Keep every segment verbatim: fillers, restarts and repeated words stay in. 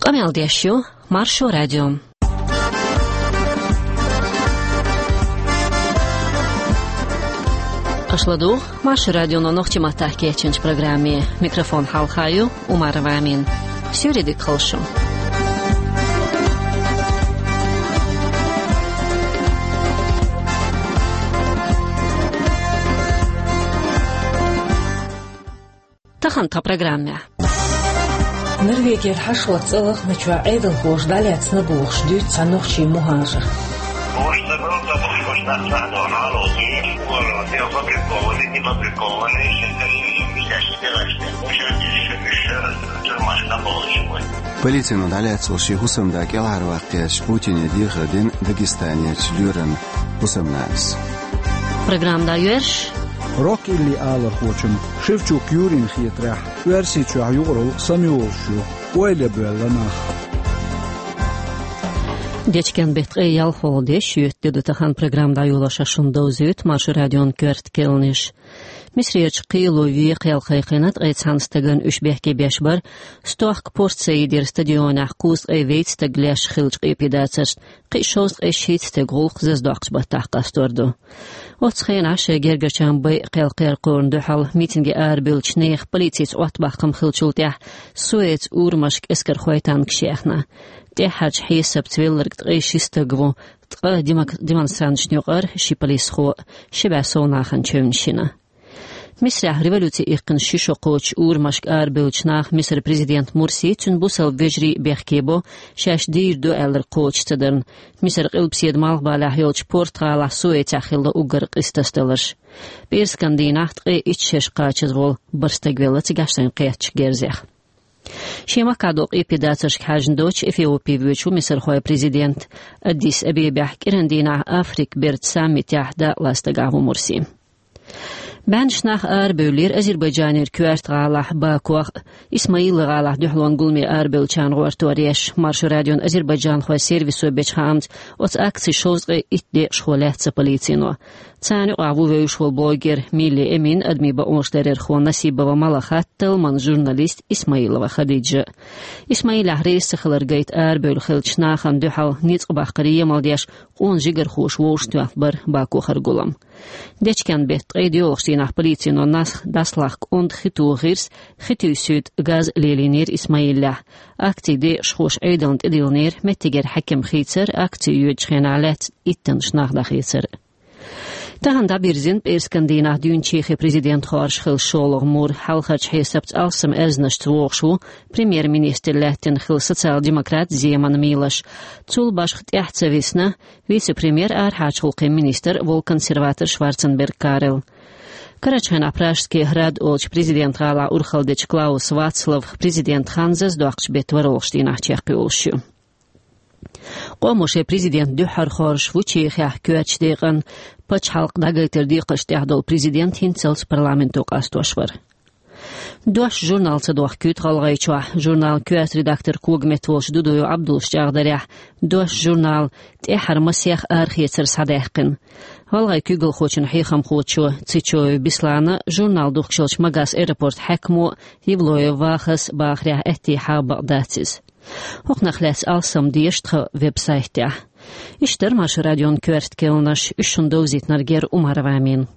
Къамел деш ю Маршо радио. Аша ладугӀу Маршо радионо нохчийн маттахь кечйинчу программе. Микрофон хьалха ю Умарова Амина. Суьйре дика хуьлда шун. Тахана тхан программехь. Норвегера хьашт-латта цӀа лахначохь Ӏедалхоша дӀалаьцна бохуш дуьйцу цхьа нохчийн мухӀажар. Полицино дӀалаьцна волу шен хӀусамда кӀелхьарваккха гӀертачу Путине дехар дина Дагестанерчу лоьран хӀусамнанас. Программа дӀайоьрзуш. Рок-илли алархочун Шевчук Юрин хетарехь, Оьрсийчохь юкъаралла самайолуш ю, ойла боьлла нах. Дечкен-беттан ткъе ялхалгӀа де, шоьтан де ду тахана. Программа дӀайолош шуна довзуьйту Маршо радион коьрта кхаьънаш. Мисарерчу кхело вен кхел кхайкхина ткъе цхьана стагана. Уьш бехке беш бара стохка Порт-Саидера стадионехь кхузткъе вейтта стаг леш хиллачу къепедацаршна, кхин шовзткъе шийтта стеган гӀуллакх зазадоккхучу баттахь къастор ду. Оццу хенахь шайн гергарчарна байъа кхел кхайкхорна дуьхьал митинге арабевллачу нехан полицица Ӏоттабахкам хиллачул тӀаьхьа Суэцан урамашка эскархой танкаш яьхна. ТӀаьххьарчу хьесапца велларг ткъе ши стаг ву, ткъа демок-, демонстранташна юкъара ши полисхо, ши бӀе сов нахана чевнаш йина. Мисарехь революци иккхина ши шо кхочучу урамашка арабевллачу наха Мисаран президент Мурси, цуьнан бусалба вежарий а бехке бо, шаьш дийр ду аьлларг кхочуш ца дарна. Мисаран къилбаседа малхбалехь йолчу Порт-гӀалахь Суэцехь хилла уггар къиза тасадаларш. ПӀераскан дийнахь ткъе итт шераш кхачаза волу бархӀ стаг велла цигахь шайна кхеттачу герзех. Шен махкахь долу къепедацаршка хьаьжна доцуш Эфиопе воьдуш ву мисархойн президент. Аддис-Абебехь кӀиран дийнахь Африкан бертан саммитехь дакъалаца дагахь ву Мурси. БӀеннаш нах арабевллера Азербайджанера коьрта гӀалахь Бакох а, Исмаилан гӀалахь дуьхьалонан гуламе арабевллачарна гӀортор еш. Маршо радион азербайджанхойн сервисо бечу хаамца, оцу акцин шовзткъе итт декъашхо лаьцна полицино. Царна юкъахь ву вевзаш волу блогер Милли Эмин, адамийн бакъонаш ларъярхо Насибова Малахат, талламан журналист Исмаилова Хадиджа. Исмаилехь реза ца хилар гайта арабевлла хиллачу нахана дуьхьал ницкъ баккхаран емал деш, къона жигархоша вовшахтоьхна бара Бакохара гулам. Дечкен-беттан ткъе доьалгӀачу дийнахь полицино нах дӀасалахка онда хи тоха гӀирс, хи туьйсуьйту газ лелийнера Исмаиллехь. Акцин декъашхоша Ӏедална тӀедиллинера меттигера хьаькам хийцар, акци йоьдучу хенахь лаьцна иттаннаш нах дӀахецар. Тахана дӀабирзина пӀераскан дийнахь дуьйна Чехин президент хоржуш хилла шолгӀа мур. Хьалхарчу хьесапца алссам аьзнашца вогӀуш ву премьер-министр лаьттина хилла социал-демократ Земан Милош. Цул башха тӀаьхьа ца висна вице-премьер, арахьарчу гӀуллакхийн министр волу консерватор Шварценберг Карел. Карарчу хенахь Пражский град олучу президент гӀалахь урхалла дечу Клаус Вацлав президент хан зазадоккхучу беттан ворхӀалгӀачу дийнахь чекхйолуш ю. Къомо шайн президент дуьххьара хоржуш ву Чехехь коьртачу декъана. Пачхьалкх дӀагайтаран декхаршна тӀехь долу президент хӀинццалц парламенто къастош вара. «Дош» журнал ца дохкуьйту ГӀалгӀайчохь. Журналан коьрта редактор когаметта волчу Дудуев Ӏабдуллас чӀагӀдарехь, «Дош» журнал тӀаьххьара масех арахецар схьадаьккхина. ГӀалгӀайн куьйгалхочун хьехамхочо Цечоев Беслана журнал духкуш йолчу Магас аэропортан хьаькамо Евлоев Вахас бахарехь, аьттехьа бакъ дац иза. ХӀокхунах лаьцна алссам деша тхан веб-сайтехь. Иштта дара Маршо радион коьрта кхаьънаш, уьш шуна довзийтинарг яра Умарова Амина.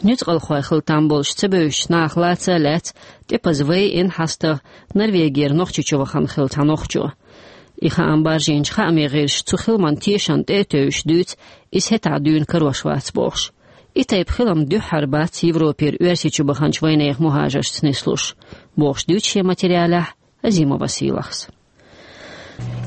Нуьцкъалхой хила там болуш ца бевзачу наха лаца а лаьцна, тӀепаза вай ин хьастагӀа Норвегера Нохчийчу вахана хилла цхьа нохчо. И хаам баржийначу хаамийн гӀирсаша цу хиламан тешам тӀе а тевжаш дуьйцу, иза хӀетахь дуьйна карош вац бохуш. И тайпа хилам дуьххьара бац Европера Оьрсийчу баханчу вайнехан мухӀажаршца нислуш, бохуш дуьйцу шен материалехь Азимова Сийлахьас.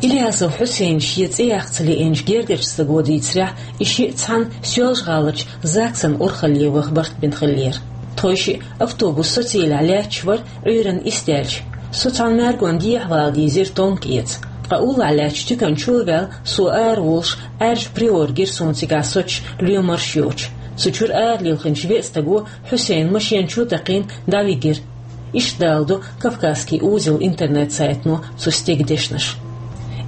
Ильясов Хьусейна шен цӀе яккха ца лиъначу гергарчу стага дийцарехь, и шиъ цхьаьна Соьлжа-ГӀаларчу ЗАГСан урхалле ваха барт бина хиллера. Тхойшиъ автобус Социлехь лаьтташ вара, Ӏуьйранна исс даьлча. Со цхьана маьргонна дехьавала дийзира тонка эца. Ткъа уллохь лаьттачу туькан чу а ваьлла, со ара волуш, Ӏаьржа Приора гира суна цигахь соцуш, лоьмарш йоцуш. Цу чуьра ара лилхинчу веа стага Хьусейна машен чу а такхийна, дӀавигира. Иштта даладо «Кавказский узел» интернет-сайтано цу стеган дешнаш.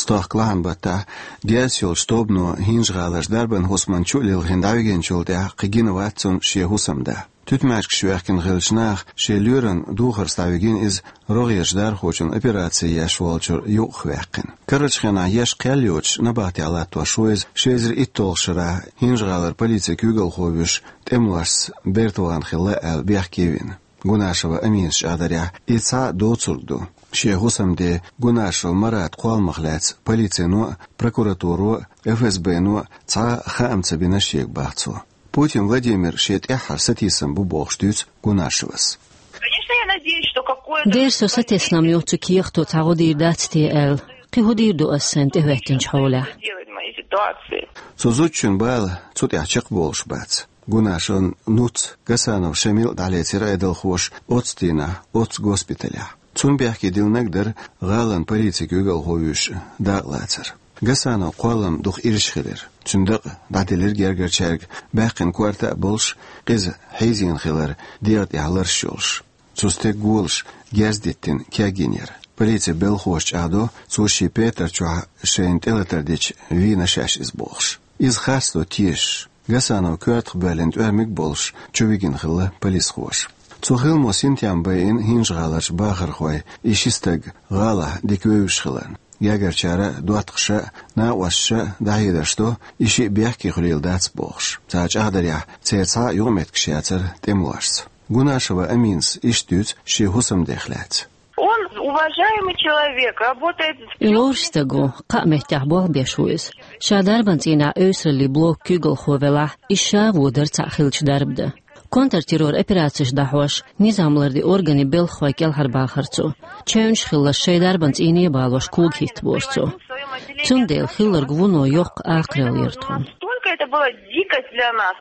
Стохка лахьан баттахь герз йолчу тобано ХӀинжа-ГӀаларчу дарбан хӀусаман чу а лилхина дӀавигинчул тӀаьхьа кхин гина вац цунна шен хӀусамда. Туьтмаьжгаш ваьккхина хиллачу наха шен лоьран духарца дӀавигина иза рогӀерчу дархочун операци еш волчуьра юкъахваьккхина. Карарчу хенахь еш кхел йоцуш набахтехь латтош ву иза, ши эзар итталгӀачу шарахь ХӀинжа-ГӀалара полицин куьйгалхо вуьйш тӀемалошца бертан вахана хилла аьлла бехке вина. Гунашева Аминас чӀагӀдарехь, и цхьаъ доцург ду. Шен хӀусамден Гунашев Марата кхолламах лаьцна полицино а, прокуратуро а, ФСБ-но а цхьа а хаам ца бина шега, бах цо. Путин Владимир шен тӀаьххьара сатийсам бу бохуш дуьйцу Гунашевас. Конечно, я надеюсь, что какое-то... Дера со сатеснам ю, цу кехато цхьа гӀо дийр дац те аьлла. Кхин хӀун дийр ду ас сайна тӀехӀоьттинчу хьолехь? Делать в моей ситуации. Цу зудчун бала цу тӀехь чекхболуш бац. Гунашевн нуц Гасанов Шамил дӀалецира Ӏедалхоша оццу дийнахь оццу госпиталехь. Цунна бехке диллинарг дара гӀалин полицин куьйгалхо вуьйш дакъалацар. Гасановн кхоллам дукха ирча хилира. Цуьнан дакъа дӀаделира гергарчаьрга, баьккхина корта а болуш, къиза хьийзийна хилар дегӀа тӀехь лараш йолуш. Цу стеган голаш герз диттина кегйина яра. Полицин белхахоша чӀагӀдо, цо шен петар чохь шайна тӀелатар дича вийна шаьш иза бохуш. Иза харцдо тешаш, Гасанов коьртах боьллина тӀоьрмиг а болуш, чу вигина хилла полисхоша. Цу хиламо синтем байина ХӀинжа-ГӀаларчу бахархойн и ши стаг гӀалахь дика вевзаш хиларна. Гергарчара а, доттагӀаша а, накъосташа а дӀахьедарш до, и шиъ бехке хуьлийла дац бохуш. Цара чӀагӀдарехь, церан цхьа а юкъаметтигаш яцара тӀемалошца. Гунашева Аминас иштта дуьйцу шен хӀусамдех лаьцна. Он уважаемый человек, работает в... И лоруш стаг ву, кхаа меттехь болх беш ву иза. Ша дарбан цӀийнехь эвсараллин блокан куьйгалхо велахь, иза ша а вон дара цхьаъ хиллачу дарба дан. Контртеррор операцеш дӀахьош, низам лардина органийн белхахойн кӀелхьарбахара цо. Чевнаш а хилла, шайн дарбан цӀийне а балош, кога хӀиттабора цо. Цундела хилларг вуно йоккха акхаралла яра тхуна. Настолько это была дикость для нас.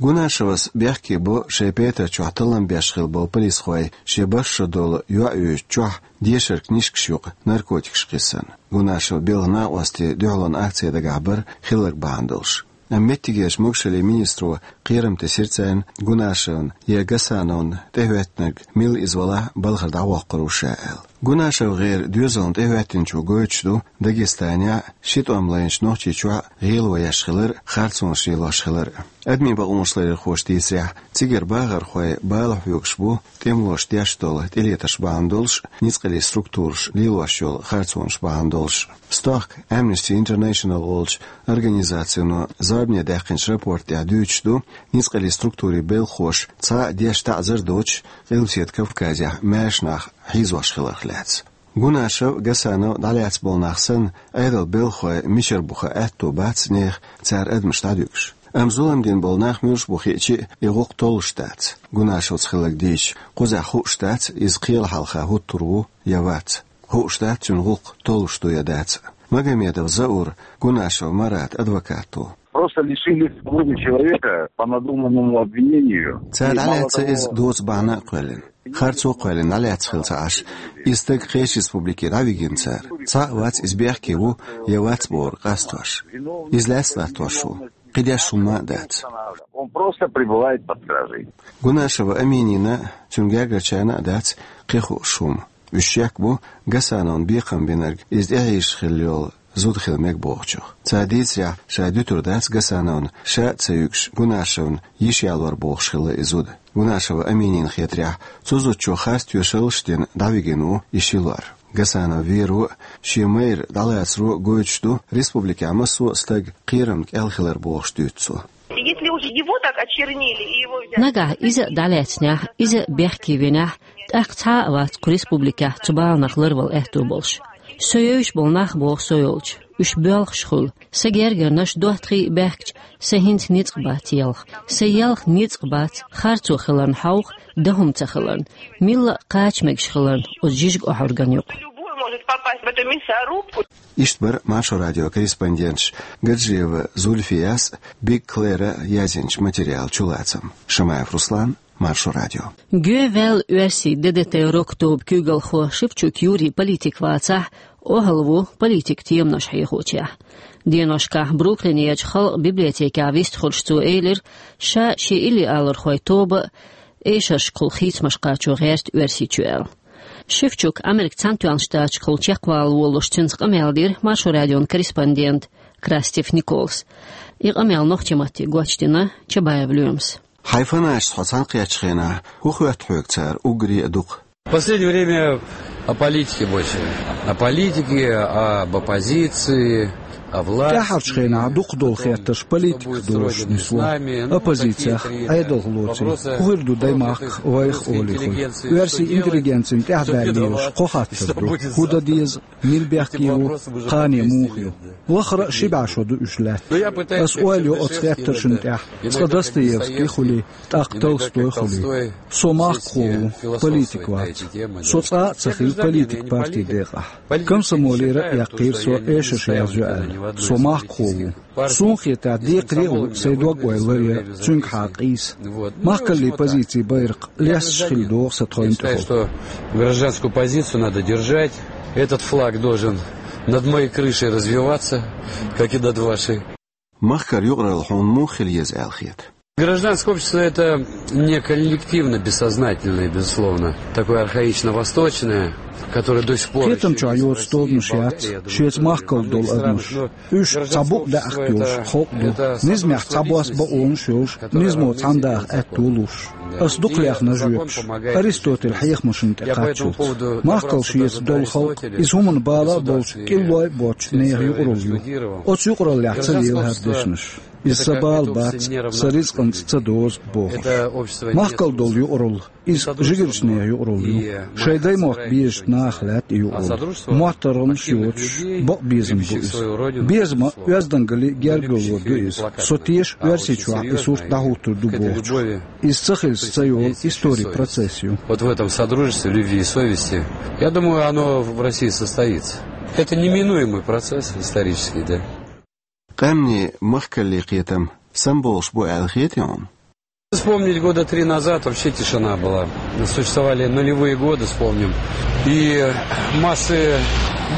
Гунашевас бехке бо шайн петар чохь таллам беш хилла болу полисхой шен башха долу йоӀ йоьдучу чохь дешаран книжкаш юкъа наркотикаш кхиссарна. Гунашевн белхан накъостий дуьхьалонан акце дагахь бара хилларг бахьана долуш. Амма меттигерчу могашаллин министро кхерам тесира царна Гунашевна я Гасановна тӀехӀоьттинарг мила иза валахь а балхара дӀавоккхур ву ша аьлла. Гунашев гӀеран доьзална тӀехӀоьттинчо гойтуш ду Дагестанехь а, ши тӀом лайначу Нохчийчохь а гӀело еш хилар а, харцонаш лелош хилар а. Адамийн бакъонаш ларъярхоша дийцарехь, цигара бахархой бала хьоьгуш бу тӀемалоша деш долу тӀелетарш бахьана долуш а, ницкъаллин структураш лелош йолу харцонаш бахьана долуш а. Стохка Amnesty International олучу организацино зорбане даьккхинчу рапорта тӀехь дуьйцуш ду, ницкъаллин структурийн белхахоша цхьа а деш таӀзар а доцуш, Къилбаседа Кавказехь маьрша нах хьийзош хиларх лаьцна. Гунашев, Гасанов дӀалаьцна болу нах санна, Ӏедалан белхахойн мичара бу хан аьтто бац нехан цара адамаш дӀадуьгуш. Амма зулам дина болу нах муьлш бу хиъча а, и гӀуллакх толлуш дац. Гунашевца хилларг дийцича, кхузахь хууш дац, иза кхелан хьалха хӀуттур ву я вац. Хууш дац, цуьнан гӀуллакх толлуш ду я дац. Магомедов Заур, Гунашев Марата адвокат ву. Просто лишили свободы человека по надуманному обвинению. Цара дӀалаьцна иза доцу бахьана а кхоьллина. Харцо а кхоьллина, дӀалаьцна хилла ца Ӏаш. И стаг кхечу республике дӀавигина цара. Цхьа а вац, иза бехке ву я вац бохург къастош. Иза лаьцна латтош ву. Кхидерш хӀумма а дац. Он просто пребывает под стражей. Гунашева Аминина а, цуьнан гергарчарна а дац кхин хууш хӀума. Уьш шек бу Гасановна бекхам бинарг иза тӀехьийзаш хилла йолу зуда хила мега бохучух. Цара дийцарехь, ша дуьтур дац Гасановна, ша а ца юьгуш, Гунашевна йиш ялор бохуш хилла и зуда. Гунашева Аминина хетарехь, цу зудчо харц тоьшаллаш а дина дӀавигина ву и ши лор. Гасанов веро а, шен майра дӀалацаро а гойтуш ду, республикехь массо а стаг кхерамна кӀел хилар бохуш дуьйцу цо. Если уж его так очернили и его взяли... Нагахь иза а дӀалаьцнехь, иза а бехке винехь, тӀаккха цхьа а вац кху республикехь цу баланах ларвала аьтто болуш. Со евзаш болу нах, боху со йолчу, уьш боьлхуш хуьлу. Сан гергарнаш доттагӀий а баьхкича, сан хӀинца ницкъ бац елха. Сан елха ницкъ бац, харцо хиларна хьовха, дан хӀума ца хиларна, милла а кхача мегаш хиларна оцу жижиг охьорган юкъа. Любой может попасть в эту мясорубку. Иштта бара Маршо радион корреспонденташ Гаджиева Зульфияс а, Биг Клэра а язйинчу материалан чулацам. Шамаев Руслан, Маршо радио. Гоьваьлла оьрсийн ДДТ-рок тобан куьйгалхо Шевчук Юрий политик вацахь а, охьалву политикан теманаш хьехочехь. Деношкахь Бруклинерчу халкъан библиотекехь вистхуьлуш цо элира, ша шен иллиалархойн тоба а, эшаршкахула хийцамаш кхачо гӀерта Оьрсийчу аьлла. Шевчук Американ Цхьаьнатоьхначу Штаташкахула чекхвала волалуш, цуьнца къамел дира Маршо радион корреспондента Крастев Николас. И къамел нохчийн матте гочдина Чабаев Лоьмас. Хьайн фанаташца хьо цхьаьна кхеттачу хенахь, хӀун хоьтту хьоьга цара уггаре а дукха? В последнее время о политике больше. О политике, об оппозиции, о власти. ТӀаьххьарчу хенахь дукхах долу хеттарш политиках долуш нисло. Оппозицех, Ӏедалх лоций, хӀун хир ду даймахках, вайх олий хуьлу. Оьрсийн интеллигенцина тӀаьхьадаьлла лелаш кхо хаттар ду: хӀун дан деза, мила бехке ву, кхане муха ю? Вахара а ши бӀе шо ду уьш лаьтташ. Ас ойла йо оцу хеттаршна тӀехь, цкъа Достоевский хуьлий, тӀаккха Толстой хуьлий. Со махкахо ву, политик вац. Со цкъа а ца хилла политик партин декъахь. Комсомолера а яьккхира со, эшарш язйо аьлла. Со махкахо ву. Суна хетахь, декхаре а ву сайн дог-ойла ларъян цуьнгахьа къийса. Махкаллин позицин байракх лесташ хилла догӀу сан тхайна тӀехула. Что гражданскую позицию надо держать. Этот флаг должен над моей крышей развиваться, как и над вашей. Махкара юкъаралла хьуна муха хила еза аьлла хета? Гражданское общество — это не коллективно-бессознательное, безусловно, такое архаично-восточное, которое до сих пор ещё... Кхетам чохь йоцу тобанаш яц шеца махкалла долу адамаш. Уьш цхьа букъ даьӀахк йолуш халкъ ду. Низамехь цхьабосса бакъонаш йолуш, низамо цхьаьна даха аьтто луш. Ас дукха лехна жоьпаш Аристотель хьехамашна тӀе кхаччалц. Махкалла шеца долу халкъ, иза хӀуманан бала а болчу, кӀиллой а боцучу нехан юкъаралла ю. Оцу юкъараллехь ца лела хӀара дешнаш. Иза сан бала бац, сан ризкъанца ца дозу бохуш. Махкалла долу юкъаралла, иза жигарчу нехан юкъаралла ю. Шайн даймохк безачу наха лаьтта и юкъаралла. МоттаргӀанаш йоцуш, бакъ безам бу иза. Безам а, оьздангаллин а гергарло ду иза. Со теша Оьрсийчохь и сурт дӀахӀуттур ду бохучух. Иза ца хилча ца йолу историн процесс ю. Вот в этом содружестве любви и совести, я думаю, оно в России состоится. Это неминуемый процесс исторический, да. Къаьмнийн махкаллин кхетам самабовлуш бу аьлла хетий хьуна? Вспомнить, года три назад вообще тишина была. Существовали нулевые годы, вспомним. И массы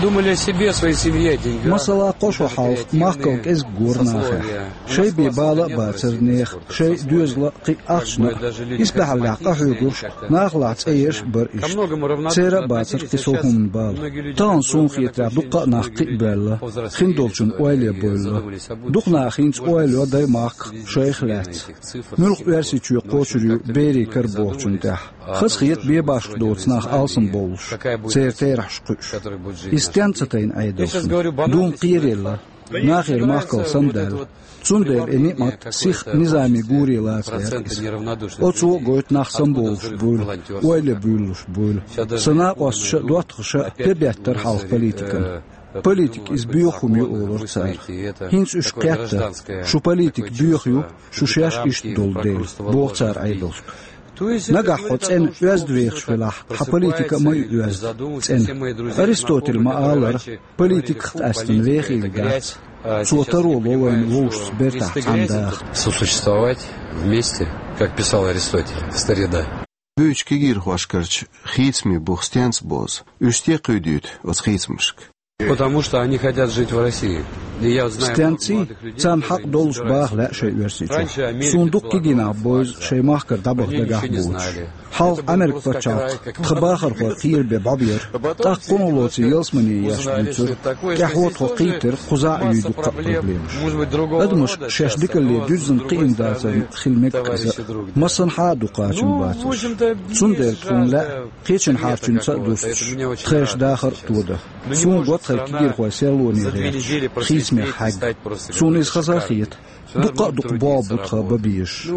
думали о себе, о своей семье, о деньгах. Масала, кхо шо хьалха махкал кӀезиг гора нахехь. Шайн бен бала а бацара нехан, шайн доьзалан а, кхин а ахчанан а. Исбаьхьаллехь къахьоьгурш, нахалахь цӀе ерш а бара иштта. Церан а бацара кхин сов хӀуманан бала. Тахана, суна хетарехь, дуккха а нах кхиабевлла, хиндолчун ойла бевлла. Дукха наха хӀинца ойла йо даймахках, шайх лаьцна. Муьлха Оьрсийчоь кхочур ю берийн кара бохучун тӀехь? Хазахета бен башха доцу нах алсамбовлуш, церан терахьаш кхуьуш. Иза стенна ца тайна Ӏедалшна? Дуна кхераелла, нахера махкал самадаьлла. Цундела и неӀмат сиха низамийн гуре лаца гӀерта иза. Оцо а гойту нах самабовлуш буйла, ойла буьйлалуш буйла. Сан накъосташа а, доттагӀаша а пе беттара хьалха политикана. Политика иза боьха хӀума ю олура цара. ХӀинца уьш кхетта: шу политика боьха ю, шу шаьш иштта долу дела, боху цара Ӏедалшка. Нагахь хьо цӀена оьзда вехаш велахь, хьан политика а ма ю оьзда, цӀена. Аристотель ма-аллара, политиках къаьстина вехийла дац. Цо таро ло вайна вовшашца бертахь цхьаьна даха. Сосуществовать вместе, как писал Аристотель, старина. Буьйцучу кегийрхошкарчу хийцамийн бух стенца бозу? Уьш стен кхуьйдуьйту оцу хийцамашка? Потому что они хотят жить в России. И я знаю... Стенций? Царна хьакъ долуш баха лаьа шайн Оьрсийчохь. Суна дукха кегий нах бевза шайн махкара дӀабаха дагахь боцуш. Хьалха Америка пачхьалкх тхан бахархой кхерабен бӀобера. ТӀаккха кхунах лоций ялсамане еш дуьйцура. ТӀаьхьо тхо кхийтира, кхузахь а юй дуккха а проблемаш. Адамаш шаьш дикалле дуьззина кхиъна дацарна хила мега иза. Массанхьа а ду кхачам бацарш. Цундела тхуна лаьа кхечун хьарчуьнца а дустуш, тхайша дахар а тодан. Суна го тхайн кегийрхой серлоне гӀерташ, хийцамех хьегна. Суна иза хаза а хета. Дуккха а дукха болх бу тхан бан безаш.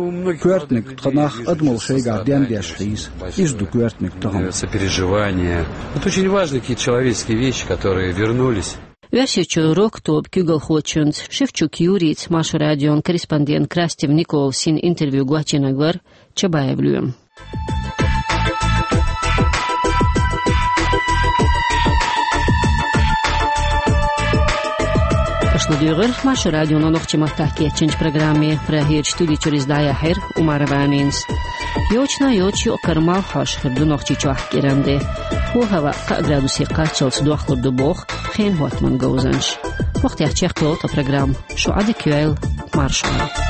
Коьртаниг тхан нах адамалла шайгахь дендеш хьийза. Иза ду коьртаниг тахана. Сопереживание. Это очень важные какие-то человеческие вещи, которые вернулись. Оьрсийчоь рок-тоба куьйгалхочуьнца Шевчук Юрийца Маршо радион корреспондент Крастев Николас йина интервью гочйинарг вара Чабаев Лоьма. Аша ладуьйгӀира Маршо радион нохчийн маттахь кечйинчу программе. Прагерчу студи чуьра иза дӀаяьхьира Умарова Аминас. Йочана йоцуш юкъ-кара малх хьош хир ду Нохчийчохь кӀиранде. ХӀо, хӀаваъ кхаа градусе кхаччалц дохлур ду боху хенан хӀоттаман говзанчаша. Вахтехь чекхйолу тхан программа. Шу Ӏадика йойла, марша Ӏойла.